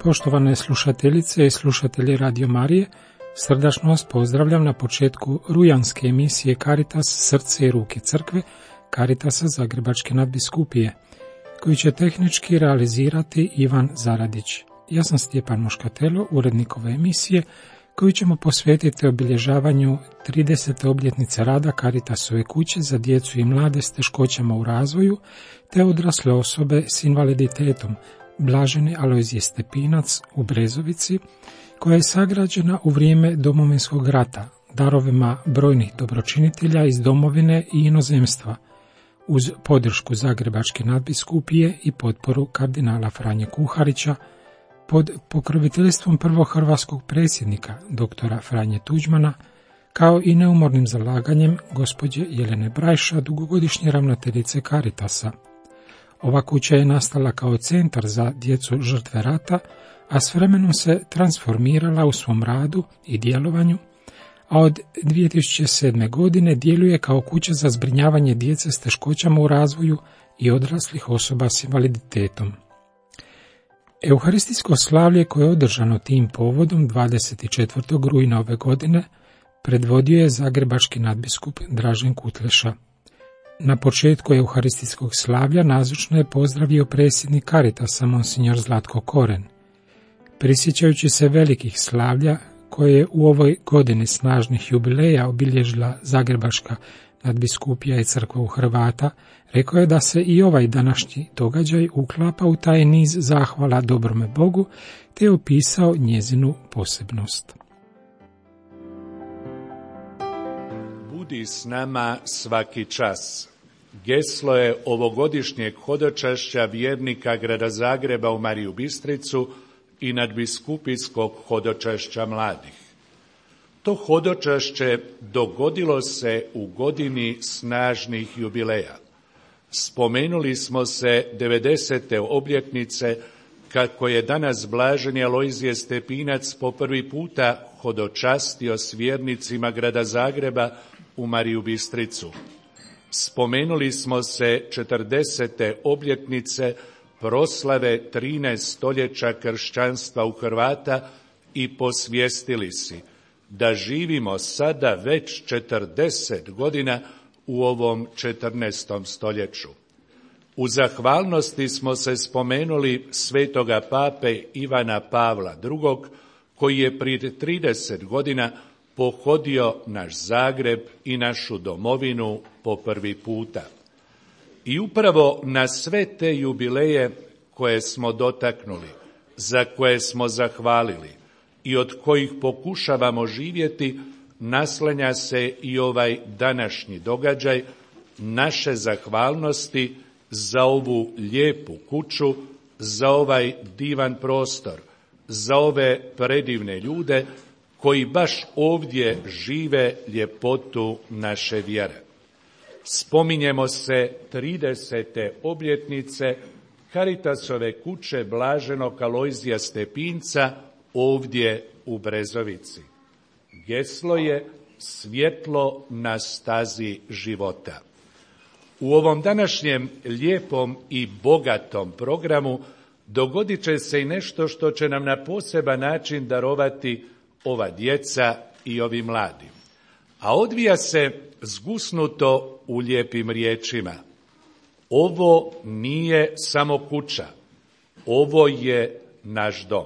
Poštovane slušateljice i slušatelji Radio Marije, srdačno vas pozdravljam na početku rujanske emisije Caritas srce i ruke crkve Caritasa Zagrebačke nadbiskupije, koju će tehnički realizirati Ivan Zaradić. Ja sam Stjepan Moškatelo, urednik ove emisije, koju ćemo posvetiti obilježavanju 30. obljetnice rada Caritasove kuće za djecu i mlade s teškoćama u razvoju te odrasle osobe s invaliditetom, Blaženi Alojzije Stepinac u Brezovici, koja je sagrađena u vrijeme Domovinskog rata darovima brojnih dobročinitelja iz domovine i inozemstva, uz podršku Zagrebačke nadbiskupije i potporu kardinala Franje Kuharića, pod pokroviteljstvom prvog hrvatskog predsjednika, doktora Franje Tuđmana, kao i neumornim zalaganjem gospođe Jelene Brajša, dugogodišnje ravnateljice Caritasa. Ova kuća je nastala kao centar za djecu žrtve rata, a s vremenom se transformirala u svom radu i djelovanju, a od 2007. godine djeluje kao kuća za zbrinjavanje djece s teškoćama u razvoju i odraslih osoba s invaliditetom. Euharistijsko slavlje koje je održano tim povodom 24. rujna ove godine predvodio je zagrebački nadbiskup Dražen Kutleša. Na početku euharistijskog slavlja nazočno je pozdravio predsjednik Caritasa monsignor Zlatko Koren. Prisjećajući se velikih slavlja koje je u ovoj godini snažnih jubileja obilježila Zagrebačka nadbiskupija i crkva u Hrvata, rekao je da se i ovaj današnji događaj uklapa u taj niz zahvala dobrome Bogu, te je opisao njezinu posebnost. Budi s nama svaki čas. Geslo je ovogodišnjeg hodočašća vjernika grada Zagreba u Mariju Bistricu i nadbiskupijskog hodočašća mladih. To hodočašće dogodilo se u godini snažnih jubileja. Spomenuli smo se 90. obljetnice kako je danas Blaženi Alojzije Stepinac po prvi puta hodočastio s vjernicima grada Zagreba u Mariju Bistricu. Spomenuli smo se 40. obljetnice proslave 13 stoljeća kršćanstva u Hrvata i posvijestili si da živimo sada već 40 godina u ovom 14. stoljeću. U zahvalnosti smo se spomenuli svetoga pape Ivana Pavla II, koji je prije 30 godina pohodio naš Zagreb i našu domovinu po prvi puta. I upravo na sve te jubileje koje smo dotaknuli, za koje smo zahvalili i od kojih pokušavamo živjeti, naslanja se i ovaj današnji događaj naše zahvalnosti za ovu lijepu kuću, za ovaj divan prostor, za ove predivne ljude koji baš ovdje žive ljepotu naše vjere. Spominjemo se 30. obljetnice Caritasove kuće Blaženog Alojzija Stepinca ovdje u Brezovici. Geslo je svjetlo na stazi života. U ovom današnjem lijepom i bogatom programu dogodit će se i nešto što će nam na poseban način darovati ova djeca i ovi mladi. A odvija se zgusnuto u lijepim riječima. Ovo nije samo kuća, ovo je naš dom.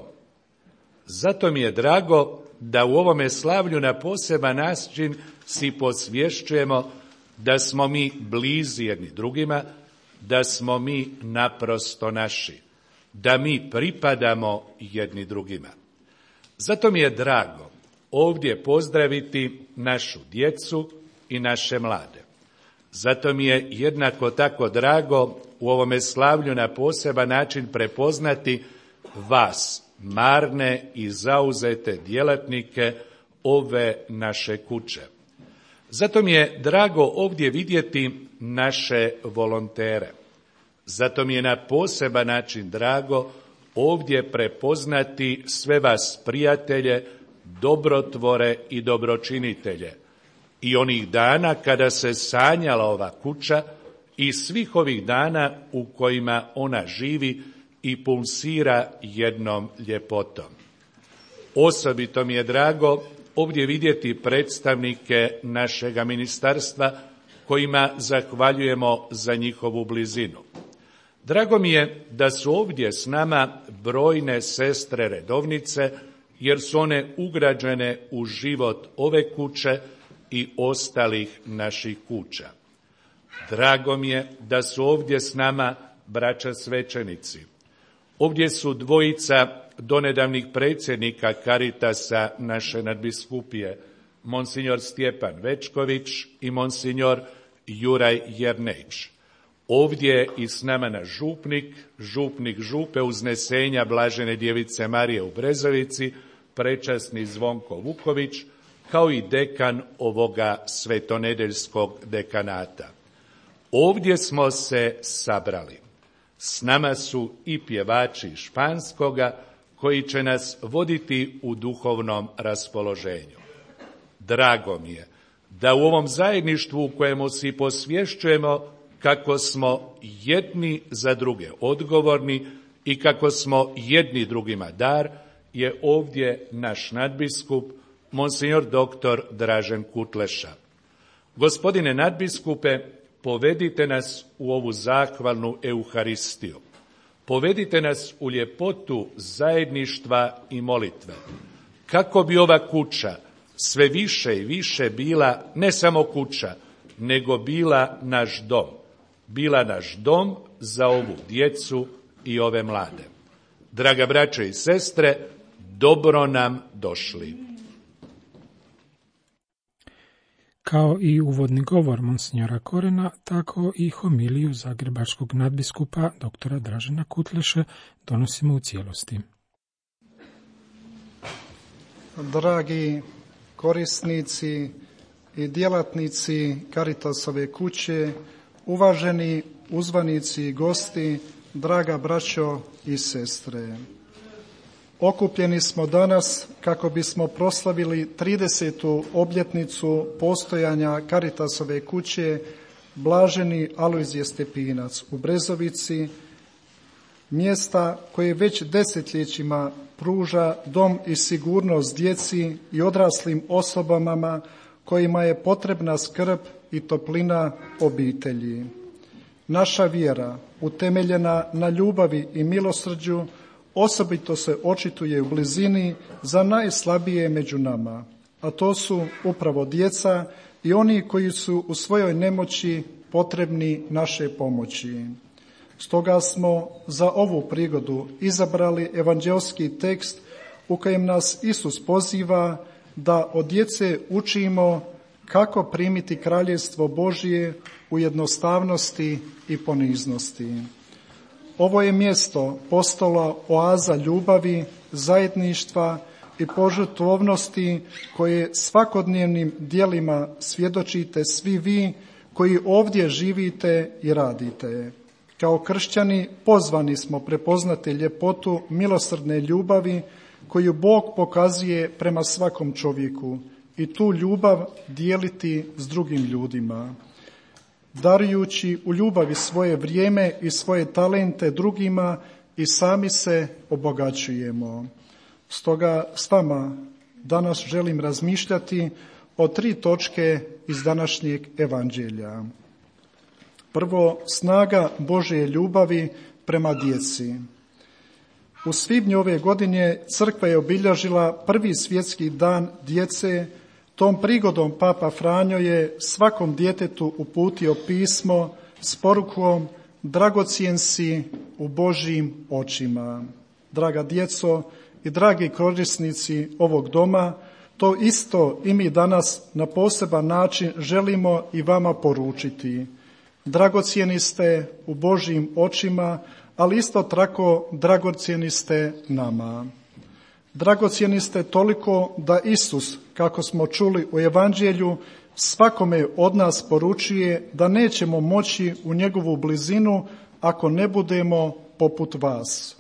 Zato mi je drago da u ovome slavlju na poseban način si posvješćujemo da smo mi blizi jedni drugima, da smo mi naprosto naši, da mi pripadamo jedni drugima. Zato mi je drago ovdje pozdraviti našu djecu i naše mlade. Zato mi je jednako tako drago u ovome slavlju na poseban način prepoznati vas, marne i zauzete djelatnike ove naše kuće. Zato mi je drago ovdje vidjeti naše volontere. Zato mi je na poseban način drago ovdje prepoznati sve vas prijatelje, dobrotvore i dobročinitelje. I onih dana kada se sanjala ova kuća i svih ovih dana u kojima ona živi i pulsira jednom ljepotom. Osobito mi je drago ovdje vidjeti predstavnike našega ministarstva kojima zahvaljujemo za njihovu blizinu. Drago mi je da su ovdje s nama brojne sestre redovnice, jer su one ugrađene u život ove kuće i ostalih naših kuća. Drago mi je da su ovdje s nama braća svećenici. Ovdje su dvojica donedavnih predsjednika Caritasa naše nadbiskupije, monsignor Stjepan Večković i monsignor Juraj Jernejić. Ovdje je i s nama naš župnik župe Uznesenja Blažene djevice Marije u Brezovici, prečasni Zvonko Vuković, kao i dekan ovoga svetonedeljskog dekanata. Ovdje smo se sabrali. S nama su i pjevači španskoga koji će nas voditi u duhovnom raspoloženju. Drago mi je da u ovom zajedništvu u kojemu si posvješćujemo kako smo jedni za druge odgovorni i kako smo jedni drugima dar, je ovdje naš nadbiskup, monsignor dr. Dražen Kutleša. Gospodine nadbiskupe, povedite nas u ovu zahvalnu Euharistiju. Povedite nas u ljepotu zajedništva i molitve. Kako bi ova kuća sve više i više bila ne samo kuća, nego bila naš dom. Bila naš dom za ovu djecu i ove mlade. Draga braćo i sestre, dobro nam došli. Kao i uvodni govor monsignora Korena, tako i homiliju zagrebačkog nadbiskupa dr. Dražena Kutleše donosimo u cijelosti. Dragi korisnici i djelatnici Caritasove kuće, uvaženi uzvanici i gosti, draga braćo i sestre. Okupljeni smo danas kako bismo proslavili 30. obljetnicu postojanja Caritasove kuće Blaženi Alojzije Stepinac u Brezovici, mjesta koje već desetljećima pruža dom i sigurnost djeci i odraslim osobama kojima je potrebna skrb i toplina obitelji. Naša vjera, utemeljena na ljubavi i milosrđu, osobito se očituje u blizini za najslabije među nama, a to su upravo djeca i oni koji su u svojoj nemoći potrebni naše pomoći. Stoga smo za ovu prigodu izabrali evanđelski tekst u kojem nas Isus poziva da od djece učimo kako primiti kraljevstvo Božje u jednostavnosti i poniznosti. Ovo je mjesto postalo oaza ljubavi, zajedništva i požrtvovnosti koje svakodnevnim djelima svjedočite svi vi koji ovdje živite i radite. Kao kršćani pozvani smo prepoznati ljepotu milosrdne ljubavi koju Bog pokazuje prema svakom čovjeku i tu ljubav dijeliti s drugim ljudima. Darujući u ljubavi svoje vrijeme i svoje talente drugima i sami se obogaćujemo. Stoga s vama danas želim razmišljati o 3 točke iz današnjeg evanđelja. Prvo, snaga Božje ljubavi prema djeci. U svibnju ove godine crkva je obilježila prvi svjetski dan djece. Tom prigodom Papa Franjo je svakom djetetu uputio pismo s porukom dragocjen si u Božjim očima. Draga djeco i dragi korisnici ovog doma, to isto i mi danas na poseban način želimo i vama poručiti. Dragocjeni ste u Božjim očima, ali isto tako dragocjeni ste nama. Dragocjeni ste toliko da Isus, kako smo čuli u Evanđelju, svakome od nas poručuje da nećemo moći u njegovu blizinu ako ne budemo poput vas.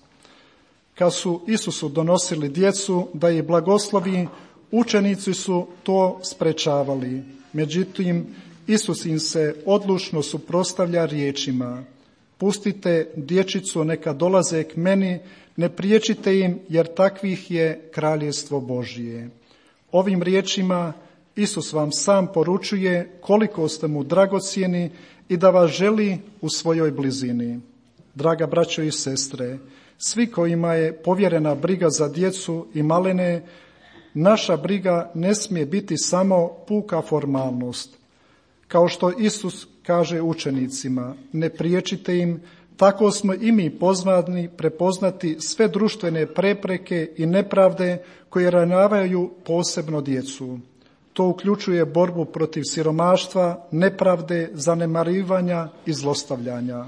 Kad su Isusu donosili djecu da ih blagoslovi, učenici su to sprečavali. Međutim, Isus im se odlučno suprotstavlja riječima: pustite dječicu, neka dolaze k meni, ne priječite im, jer takvih je kraljestvo Božje. Ovim riječima Isus vam sam poručuje koliko ste mu dragocjeni i da vas želi u svojoj blizini. Draga braćo i sestre, svi kojima je povjerena briga za djecu i malene, naša briga ne smije biti samo puka formalnost. Kao što Isus kaže učenicima, ne priječite im, tako smo i mi pozvani prepoznati sve društvene prepreke i nepravde koje ranjavaju posebno djecu. To uključuje borbu protiv siromaštva, nepravde, zanemarivanja i zlostavljanja.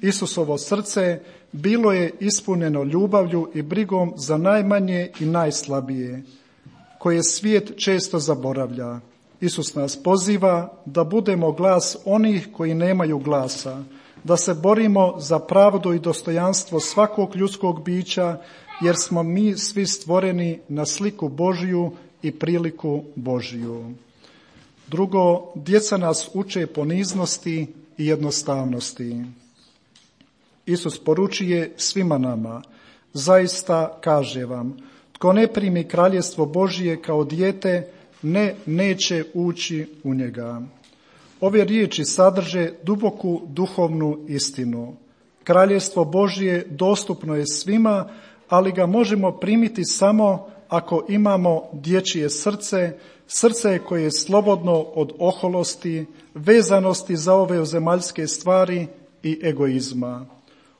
Isusovo srce bilo je ispunjeno ljubavlju i brigom za najmanje i najslabije, koje svijet često zaboravlja. Isus nas poziva da budemo glas onih koji nemaju glasa, da se borimo za pravdu i dostojanstvo svakog ljudskog bića, jer smo mi svi stvoreni na sliku Božju i priliku Božju. Drugo, djeca nas uče poniznosti i jednostavnosti. Isus poručuje svima nama: zaista kaže vam, tko ne primi kraljestvo Božje kao dijete, neće ući u njega. Ove riječi sadrže duboku duhovnu istinu. Kraljestvo Božje dostupno je svima, ali ga možemo primiti samo ako imamo dječje srce, srce koje je slobodno od oholosti, vezanosti za ove zemaljske stvari i egoizma.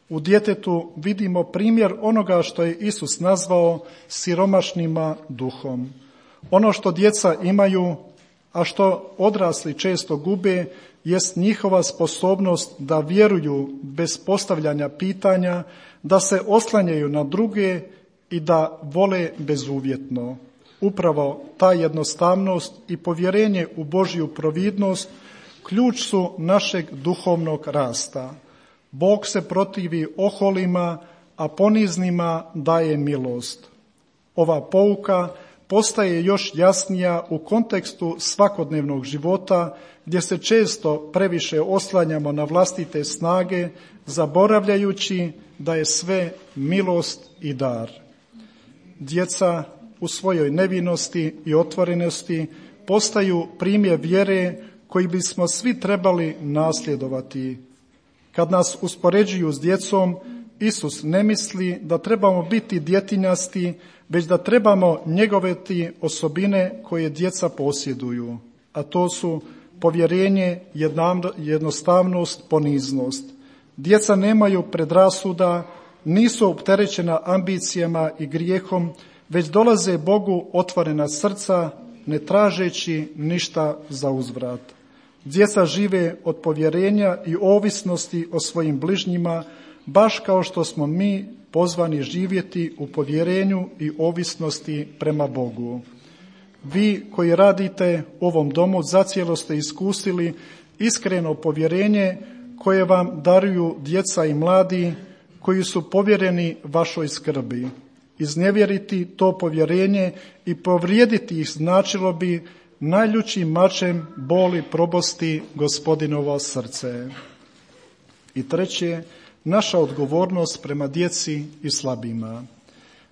U djetetu vidimo primjer onoga što je Isus nazvao siromašnima duhom. Ono što djeca imaju, a što odrasli često gube, jest njihova sposobnost da vjeruju bez postavljanja pitanja, da se oslanjaju na druge i da vole bezuvjetno. Upravo ta jednostavnost i povjerenje u Božju providnost ključ su našeg duhovnog rasta. Bog se protivi oholima, a poniznima daje milost. Ova pouka postaje još jasnija u kontekstu svakodnevnog života, gdje se često previše oslanjamo na vlastite snage, zaboravljajući da je sve milost i dar. Djeca u svojoj nevinosti i otvorenosti postaju primjer vjere koji bismo svi trebali nasljedovati. Kad nas uspoređuju s djecom, Isus ne misli da trebamo biti djetinjasti, već da trebamo njegovati osobine koje djeca posjeduju, a to su povjerenje, jednostavnost, poniznost. Djeca nemaju predrasuda, nisu opterećena ambicijama i grijehom, već dolaze Bogu otvorena srca, ne tražeći ništa za uzvrat. Djeca žive od povjerenja i ovisnosti o svojim bližnjima, baš kao što smo mi pozvani živjeti u povjerenju i ovisnosti prema Bogu. Vi koji radite u ovom domu zacijelo ste iskusili iskreno povjerenje koje vam daruju djeca i mladi koji su povjereni vašoj skrbi. Iznevjeriti to povjerenje i povrijediti ih značilo bi najljućim mačem boli probosti Gospodinovo srce. I treće, naša odgovornost prema djeci i slabima.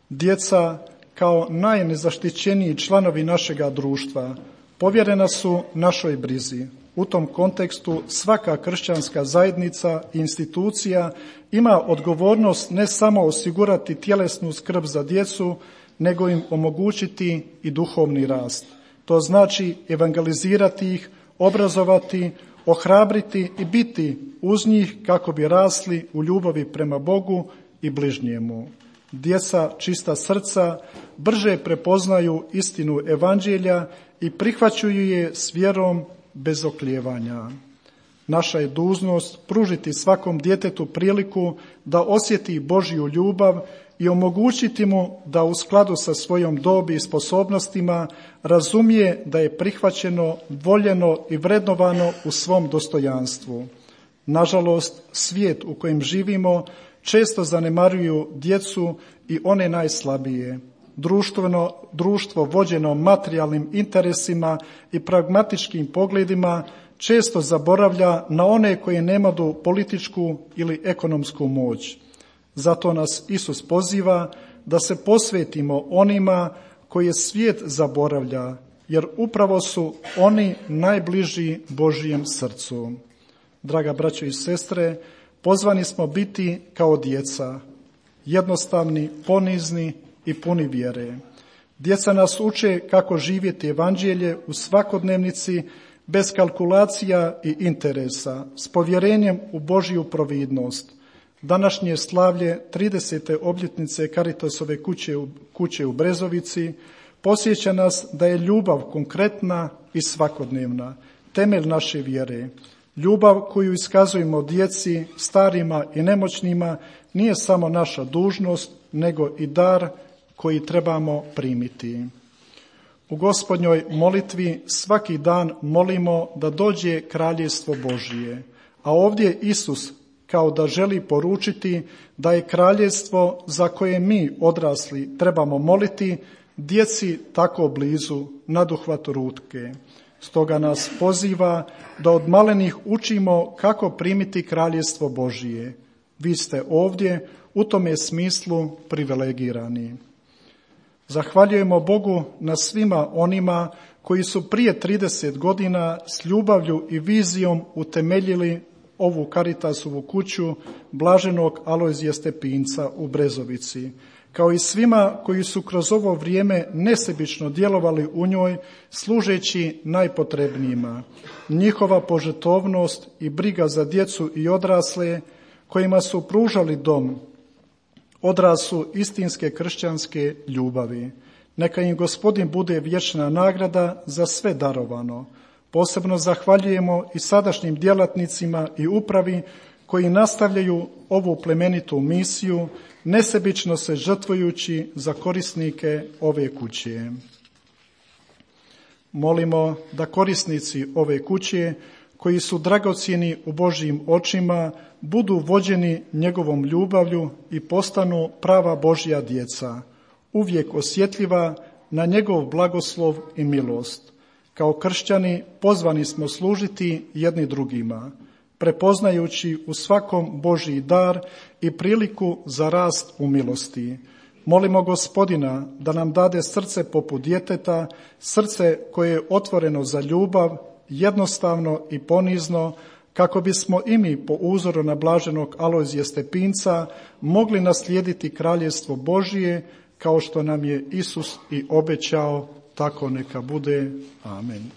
Djeca kao najnezaštićeniji članovi našega društva povjerena su našoj brizi. U tom kontekstu svaka kršćanska zajednica i institucija ima odgovornost ne samo osigurati tjelesnu skrb za djecu, nego im omogućiti i duhovni rast. To znači evangelizirati ih, obrazovati, ohrabriti i biti uz njih kako bi rasli u ljubavi prema Bogu i bližnjemu. Djeca čista srca brže prepoznaju istinu evanđelja i prihvaćaju je s vjerom bez oklijevanja. Naša je dužnost pružiti svakom djetetu priliku da osjeti Božju ljubav i omogućiti mu da u skladu sa svojom dobi i sposobnostima razumije da je prihvaćeno, voljeno i vrednovano u svom dostojanstvu. Nažalost, svijet u kojem živimo često zanemaruju djecu i one najslabije. Društvo vođeno materijalnim interesima i pragmatičkim pogledima često zaboravlja na one koji nemaju političku ili ekonomsku moć. Zato nas Isus poziva da se posvetimo onima koje svijet zaboravlja, jer upravo su oni najbliži Božijem srcu. Draga braćo i sestre, pozvani smo biti kao djeca, jednostavni, ponizni i puni vjere. Djeca nas uče kako živjeti evanđelje u svakodnevnici bez kalkulacija i interesa, s povjerenjem u Božju providnost. Današnje slavlje 30. obljetnice Caritasove kuće u Brezovici podsjeća nas da je ljubav konkretna i svakodnevna, temelj naše vjere. Ljubav koju iskazujemo djeci, starima i nemoćnima nije samo naša dužnost, nego i dar koji trebamo primiti. U Gospodnjoj molitvi svaki dan molimo da dođe kraljevstvo Božije, a ovdje Isus kao da želi poručiti da je kraljevstvo za koje mi odrasli trebamo moliti djeci tako blizu, naduhvat ruke. Stoga nas poziva da od malenih učimo kako primiti kraljevstvo Božije. Vi ste ovdje u tome smislu privilegirani. Zahvaljujemo Bogu na svima onima koji su prije 30 godina s ljubavlju i vizijom utemeljili ovu Caritasovu kuću blaženog Alojzija Stepinca u Brezovici, kao i svima koji su kroz ovo vrijeme nesebično djelovali u njoj služeći najpotrebnijima. Njihova požrtvovnost i briga za djecu i odrasle kojima su pružali dom, odraz su istinske kršćanske ljubavi. Neka im Gospodin bude vječna nagrada za sve darovano. Posebno zahvaljujemo i sadašnjim djelatnicima i upravi koji nastavljaju ovu plemenitu misiju, nesebično se žrtvujući za korisnike ove kuće. Molimo da korisnici ove kuće, koji su dragocjeni u Božjim očima, budu vođeni njegovom ljubavlju i postanu prava Božja djeca, uvijek osjetljiva na njegov blagoslov i milost. Kao kršćani pozvani smo služiti jedni drugima, prepoznajući u svakom Božji dar i priliku za rast u milosti. Molimo Gospodina da nam dade srce poput djeteta, srce koje je otvoreno za ljubav, jednostavno i ponizno, kako bismo i mi po uzoru na blaženog Alojzija Stepinca mogli naslijediti kraljevstvo Božije, kao što nam je Isus i obećao, tako neka bude. Amen.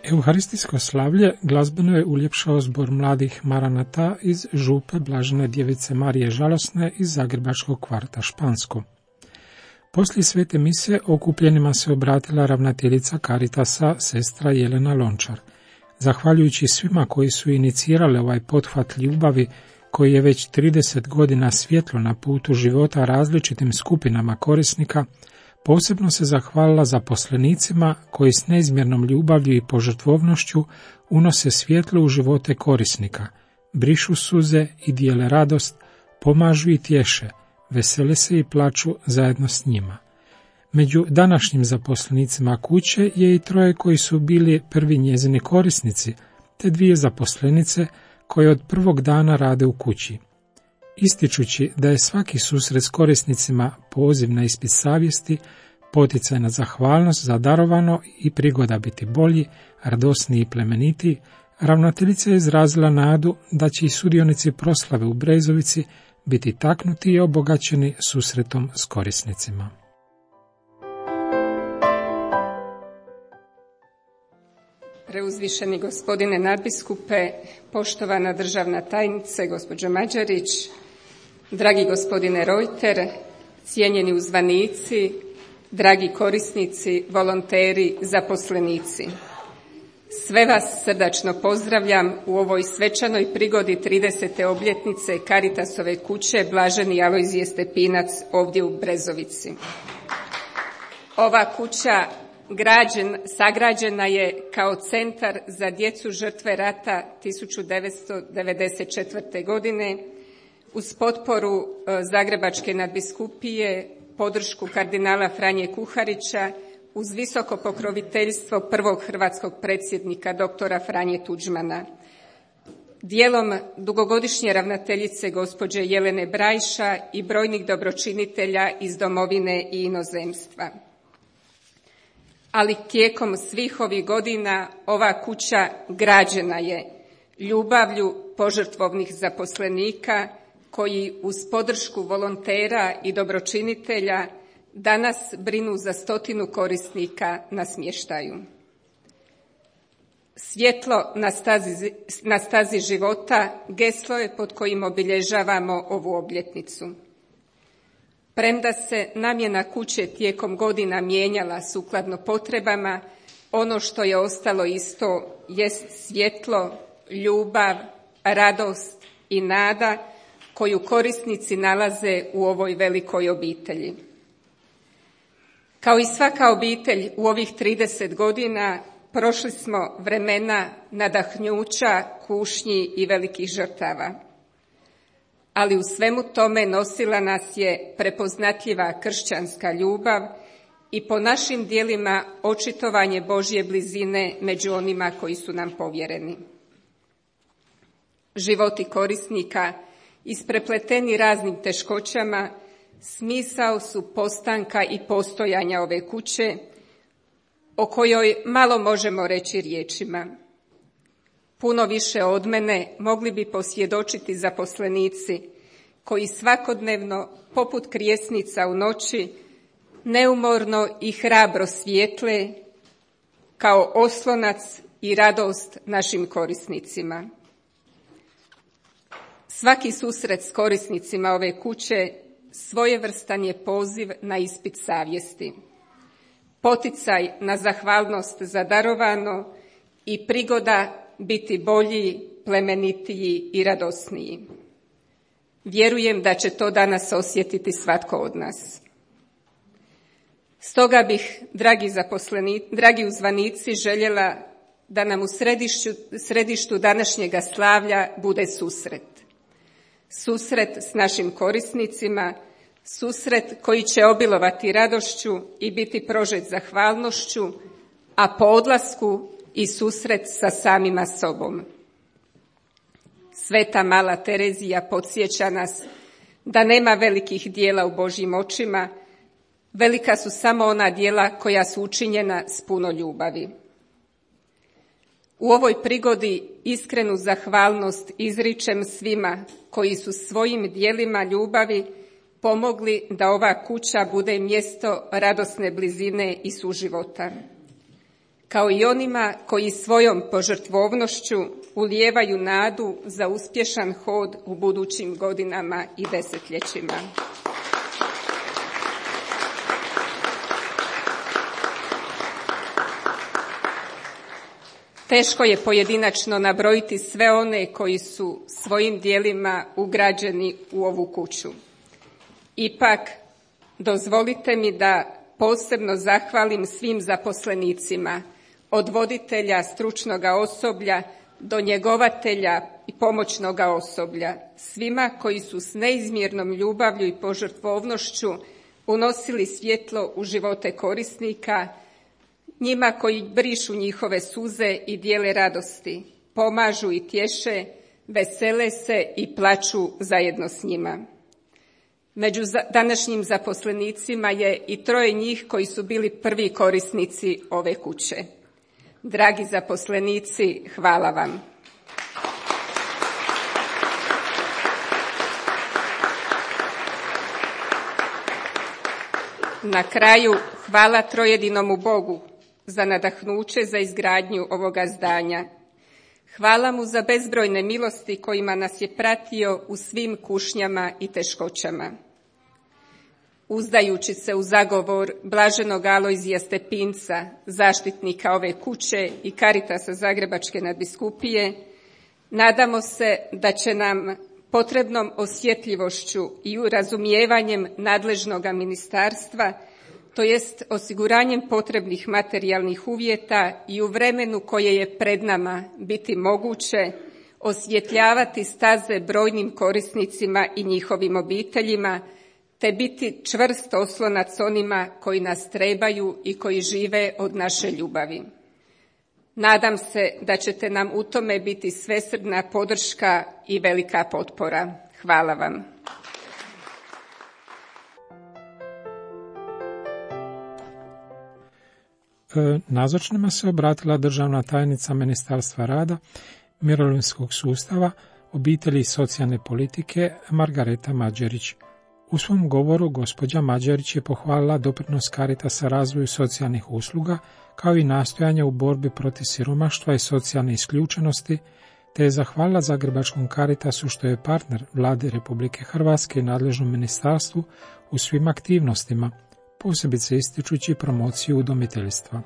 Euharistijsko slavlje glazbeno je uljepšao zbor mladih Maranata iz župe Blažene djevice Marije Žalosne iz zagrebačkog kvarta Špansko. Poslije svete mise okupljenima se obratila ravnateljica Caritasa, sestra Jelena Lončar. Zahvaljujući svima koji su inicirali ovaj pothvat ljubavi, koji je već 30 godina svjetlo na putu života različitim skupinama korisnika, posebno se zahvalila zaposlenicima koji s neizmjernom ljubavlju i požrtvovnošću unose svjetlo u živote korisnika, brišu suze i dijele radost, pomažu i tješe, vesele se i plaču zajedno s njima. Među današnjim zaposlenicima kuće je i 3 koji su bili prvi njezini korisnici, te 2 zaposlenice koje od prvog dana rade u kući. Ističući da je svaki susret s korisnicima poziv na ispit savjesti, poticaj na zahvalnost za darovano i prigoda biti bolji, radosniji i plemenitiji, ravnateljica je izrazila nadu da će i sudionici proslave u Brezovici biti taknuti i obogaćeni susretom s korisnicima. Preuzvišeni gospodine nadbiskupe, poštovana državna tajnice, gospođo Mađarić, dragi gospodine Reuter, cijenjeni uzvanici, dragi korisnici, volonteri, zaposlenici. Sve vas srdačno pozdravljam u ovoj svečanoj prigodi 30. obljetnice Caritasove kuće Blaženi Alojzije Stepinac ovdje u Brezovici. Ova kuća sagrađena je kao centar za djecu žrtve rata 1994. godine uz potporu Zagrebačke nadbiskupije, podršku kardinala Franje Kuharića, uz visoko pokroviteljstvo prvog hrvatskog predsjednika doktora Franje Tuđmana. Dijelom dugogodišnje ravnateljice gospođe Jelene Brajša i brojnih dobročinitelja iz domovine i inozemstva. Ali tijekom svih ovih godina ova kuća građena je ljubavlju požrtvovnih zaposlenika koji uz podršku volontera i dobročinitelja danas brinu za 100 korisnika na smještaju. Svjetlo na stazi života geslo je pod kojim obilježavamo ovu obljetnicu. Premda se namjena kuće tijekom godina mijenjala sukladno potrebama, ono što je ostalo isto jest svjetlo, ljubav, radost i nada koju korisnici nalaze u ovoj velikoj obitelji. Kao i svaka obitelj u ovih 30 godina prošli smo vremena nadahnjuća, kušnji i velikih žrtava. Ali u svemu tome nosila nas je prepoznatljiva kršćanska ljubav i po našim djelima očitovanje Božje blizine među onima koji su nam povjereni. Životi korisnika, isprepleteni raznim teškoćama, smisao su postanka i postojanja ove kuće, o kojoj malo možemo reći riječima. Puno više od mene mogli bi posvjedočiti zaposlenici koji svakodnevno, poput krijesnica u noći, neumorno i hrabro svijetle kao oslonac i radost našim korisnicima. Svaki susret s korisnicima ove kuće svojevrstan je poziv na ispit savjesti, poticaj na zahvalnost za darovano i prigoda biti bolji, plemenitiji i radosniji. Vjerujem da će to danas osjetiti svatko od nas. Stoga bih, dragi uzvanici, željela da nam u središtu današnjega slavlja bude susret. Susret s našim korisnicima, susret koji će obilovati radošću i biti prožet zahvalnošću, a po odlasku i susret sa samima sobom. Sveta mala Terezija podsjeća nas da nema velikih dijela u Božjim očima, velika su samo ona dijela koja su učinjena s puno ljubavi. U ovoj prigodi iskrenu zahvalnost izričem svima koji su svojim dijelima ljubavi pomogli da ova kuća bude mjesto radosne blizine i suživota, kao i onima koji svojom požrtvovnošću ulijevaju nadu za uspješan hod u budućim godinama i desetljećima. Teško je pojedinačno nabrojiti sve one koji su svojim dijelima ugrađeni u ovu kuću. Ipak, dozvolite mi da posebno zahvalim svim zaposlenicima, od voditelja, stručnoga osoblja do njegovatelja i pomoćnoga osoblja, svima koji su s neizmjernom ljubavlju i požrtvovnošću unosili svjetlo u živote korisnika, njima koji brišu njihove suze i dijele radosti, pomažu i tješe, vesele se i plaču zajedno s njima. Među današnjim zaposlenicima je i 3 njih koji su bili prvi korisnici ove kuće. Dragi zaposlenici, hvala vam. Na kraju, hvala trojedinomu Bogu za nadahnuće za izgradnju ovoga zdanja. Hvala mu za bezbrojne milosti kojima nas je pratio u svim kušnjama i teškoćama. uzdajući se u zagovor blaženog Alojzija Stepinca, zaštitnika ove kuće i Caritasa Zagrebačke nadbiskupije, nadamo se da će nam potrebnom osjetljivošću i razumijevanjem nadležnog ministarstva, to jest osiguranjem potrebnih materijalnih uvjeta i u vremenu koje je pred nama biti moguće osvjetljavati staze brojnim korisnicima i njihovim obiteljima, te biti čvrst oslonac onima koji nas trebaju i koji žive od naše ljubavi. Nadam se da ćete nam u tome biti svesrdna podrška i velika potpora. Hvala vam. Nazočnima se obratila državna tajnica Ministarstva rada, mirovinskog sustava, obitelji i socijalne politike Margareta Mađerić. U svom govoru gospođa Mađerić je pohvalila doprinos Caritasa razvoju socijalnih usluga, kao i nastojanja u borbi protiv siromaštva i socijalne isključenosti, te je zahvalila Zagrebačkom Caritasu što je partner Vlade Republike Hrvatske i nadležnom ministarstvu u svim aktivnostima, posebice ističući promociju udomiteljstva.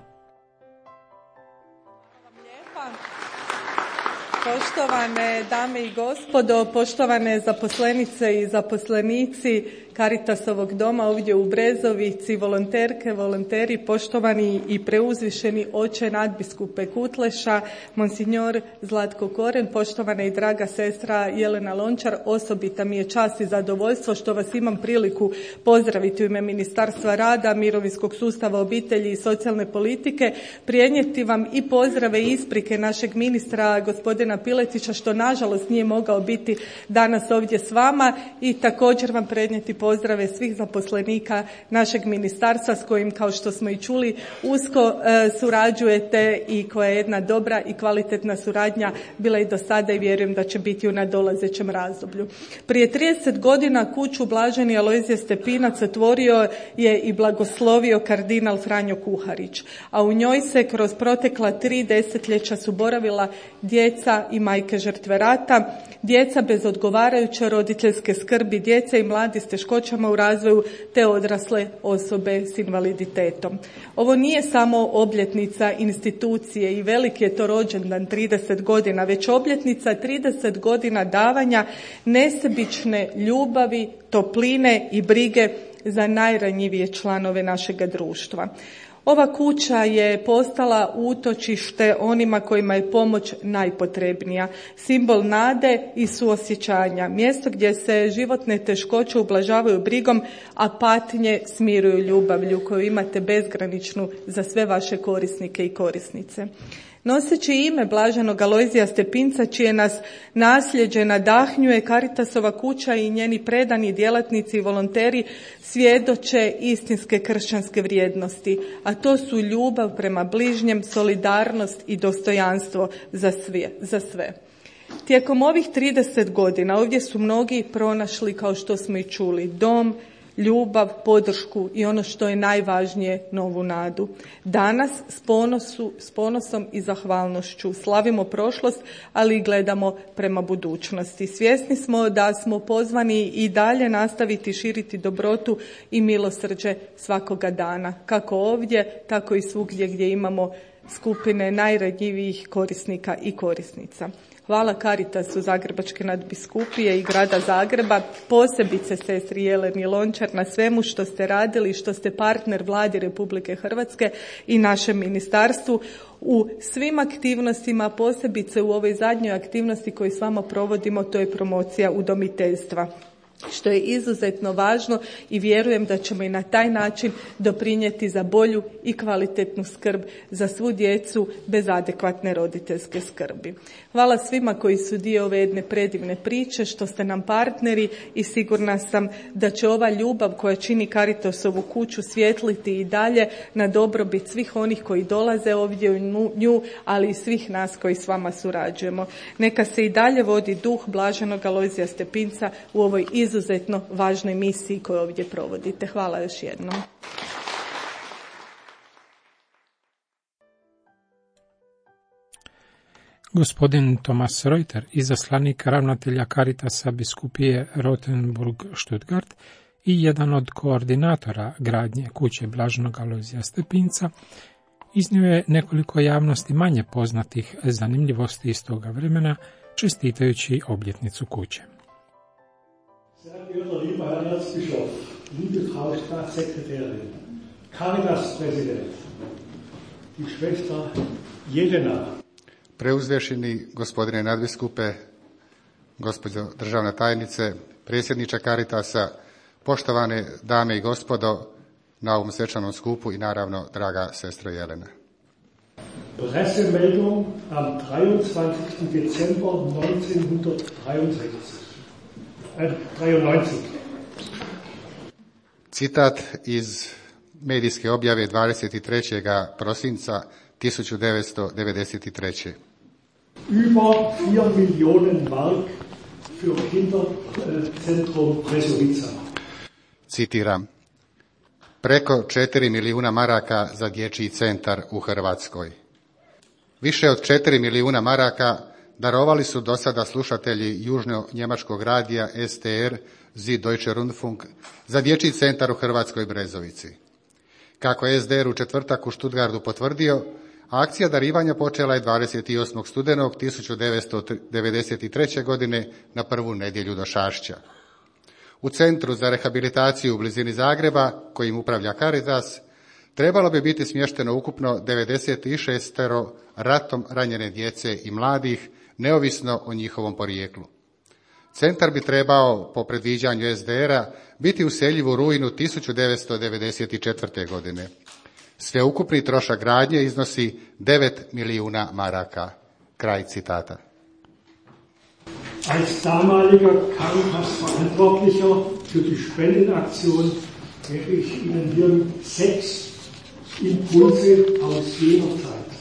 Poštovane dame i gospodo, poštovane zaposlenice i zaposlenici Caritasovog doma ovdje u Brezovici, volonterke, volonteri, poštovani i preuzvišeni oče nadbiskupe Kutleša, monsignor Zlatko Koren, poštovana i draga sestra Jelena Lončar, osobita mi je čast i zadovoljstvo što vas imam priliku pozdraviti u ime Ministarstva rada, mirovinskog sustava, obitelji i socijalne politike, prenijeti vam i pozdrave i isprike našeg ministra gospodina Piletića što nažalost nije mogao biti danas ovdje s vama i također vam prenijeti pozdrave svih zaposlenika našeg ministarstva s kojim, kao što smo i čuli, usko surađujete i koja je jedna dobra i kvalitetna suradnja bila i do sada i vjerujem da će biti u nadolazećem razdoblju. Prije 30 godina kuću Blaženi Alojzije Stepinac otvorio je i blagoslovio kardinal Franjo Kuharić, a u njoj se kroz protekla 3 desetljeća su boravila djeca i majke žrtve rata, djeca bez odgovarajuće roditeljske skrbi, djeca i mladi s teškoćama u razvoju te odrasle osobe s invaliditetom. Ovo nije samo obljetnica institucije i veliki je to rođendan 30 godina, već obljetnica 30 godina davanja nesebične ljubavi, topline i brige za najranjivije članove našega društva. Ova kuća je postala utočište onima kojima je pomoć najpotrebnija, simbol nade i suosjećanja, mjesto gdje se životne teškoće ublažavaju brigom, a patnje smiruju ljubavlju koju imate bezgraničnu za sve vaše korisnike i korisnice. Noseći ime Blaženog Alojzija Stepinca, čije nas nasljeđe nadahnjuje, Caritasova kuća i njeni predani djelatnici i volonteri svjedoče istinske kršćanske vrijednosti, a to su ljubav prema bližnjem, solidarnost i dostojanstvo za sve. Tijekom ovih 30 godina ovdje su mnogi pronašli, kao što smo i čuli, dom, ljubav, podršku i ono što je najvažnije, novu nadu. Danas s ponosom i zahvalnošću slavimo prošlost, ali i gledamo prema budućnosti. Svjesni smo da smo pozvani i dalje nastaviti širiti dobrotu i milosrđe svakoga dana, kako ovdje, tako i svugdje gdje imamo skupine najranjivijih korisnika i korisnica. Hvala Caritasu Zagrebačke nadbiskupije i grada Zagreba, posebice sestri Jeleni Lončar na svemu što ste radili i što ste partner Vladi Republike Hrvatske i našem ministarstvu u svim aktivnostima, posebice u ovoj zadnjoj aktivnosti koju s vama provodimo, to je promocija udomiteljstva, što je izuzetno važno i vjerujem da ćemo i na taj način doprinijeti za bolju i kvalitetnu skrb za svu djecu bez adekvatne roditeljske skrbi. Hvala svima koji su dio ove jedne predivne priče, što ste nam partneri i sigurna sam da će ova ljubav koja čini Caritasovu kuću svjetliti i dalje na dobrobit svih onih koji dolaze ovdje u nju, ali i svih nas koji s vama surađujemo. Neka se i dalje vodi duh Blaženog Alojzija Stepinca u ovoj izuzetno važnoj misiji koju ovdje provodite. Hvala još jednom. Gospodin Thomas Reuter, izaslanik ravnatelja Caritasa biskupije Rothenburg-Stuttgart, i jedan od koordinatora gradnje kuće Blaženog Alojzija Stepinca, iznio je nekoliko javnosti manje poznatih zanimljivosti iz toga vremena, čestitajući obljetnicu kuće. Sehr geehrter lieber Herr Erzbischof, liebe Frau Staatssekretärin, Caritas-Präsident, die Schwester Jelena. Preuzvišeni gospodine nadbiskupe, gospođo državna tajnice, predsjedniče Caritasa, poštovane dame i gospodo na ovom svečanom skupu i naravno draga sestro Jelena. Pressemeldung am 23. Dezember 1993. Citat iz medijske objave 23. prosinca 1993. Über 4 Millionen Mark für Kinderzentrum Brezovica. Citiram. Preko 4 milijuna maraka za dječji centar u Hrvatskoj. Više od 4 milijuna maraka darovali su do sada slušatelji južno-njemačkog radija STR Süddeutsche Rundfunk za dječji centar u Hrvatskoj Brezovici. Kako je SDR u četvrtak u Stuttgartu potvrdio, akcija darivanja počela je 28. studenog 1993. godine na prvu nedjelju do Šašća. U Centru za rehabilitaciju u blizini Zagreba, kojim upravlja Caritas, trebalo bi biti smješteno ukupno 96 ratom ranjene djece i mladih, neovisno o njihovom porijeklu. Centar bi trebao, po predviđanju SDR-a, biti useljiv u rujnu 1994. godine. Sveukupni trošak gradnje iznosi 9 milijuna maraka. Kraj citata. Als damaliger Caritas-Verantwortlicher für die Spendenaktion gebe ich Ihnen hier 6 Impulse aus jener Zeit.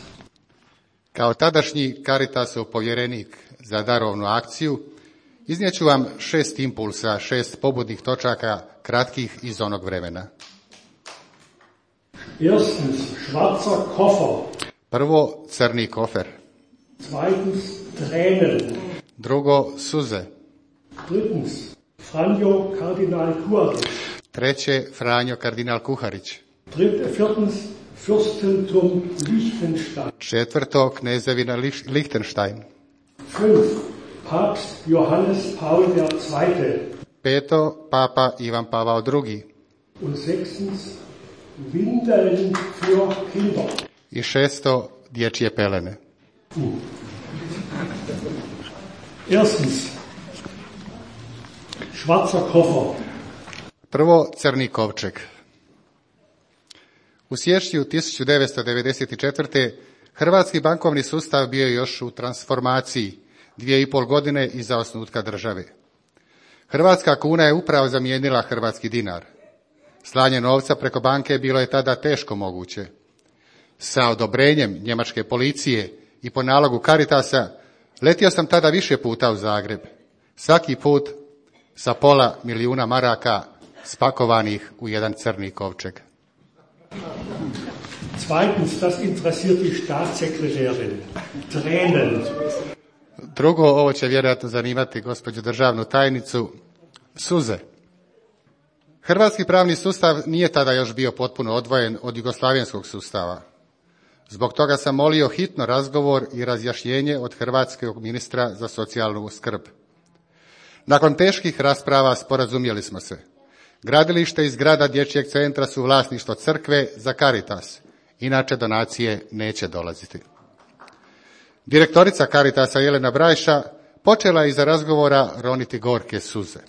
Kao tadašnji Caritasov povjerenik za darovnu akciju, iznijeću vam 6 impulsa, 6 pobudnih točaka kratkih iz onog vremena. Erstens, schwarzer Koffer. Prvo, crni kofer. Zweitens, Tränen. Drugo, suze. Drittens, Franjo Kardinal Kuharić. Treće, Franjo kardinal Kuharić. Viertens, Fürstentum Liechtenstein. Četvrto, knezevina Liechtenstein. 5. Papst Johannes Paul II. Peto, papa Ivan Pavao II. Und 6. Windeln für Kinder. I šesto, dječje pelene. Erstens, schwarzer Koffer. Prvo, crni kovčeg. U siječnju 1994. hrvatski bankovni sustav bio je još u transformaciji, 2,5 godine iza osnutka države. Hrvatska kuna je upravo zamijenila hrvatski dinar. Slanje novca preko banke bilo je tada teško moguće. Sa odobrenjem njemačke policije i po nalogu Caritasa letio sam tada više puta u Zagreb. Svaki put sa pola milijuna maraka spakovanih u jedan crni kovčeg. Zweitens, das interessiert die Staatssekretärin. Tränen. Drugo, ovo će vjerojatno zanimati gospođu državnu tajnicu, suze. Hrvatski pravni sustav nije tada još bio potpuno odvojen od jugoslavenskog sustava. Zbog toga sam molio hitno razgovor i razjašnjenje od hrvatskog ministra za socijalnu skrb. Nakon teških rasprava sporazumjeli smo se. Gradilište i zgrada dječjeg centra su vlasništvo crkve za Caritas, inače donacije neće dolaziti. Direktorica Caritasa Jelena Brajša počela je iza razgovora roniti gorke suze.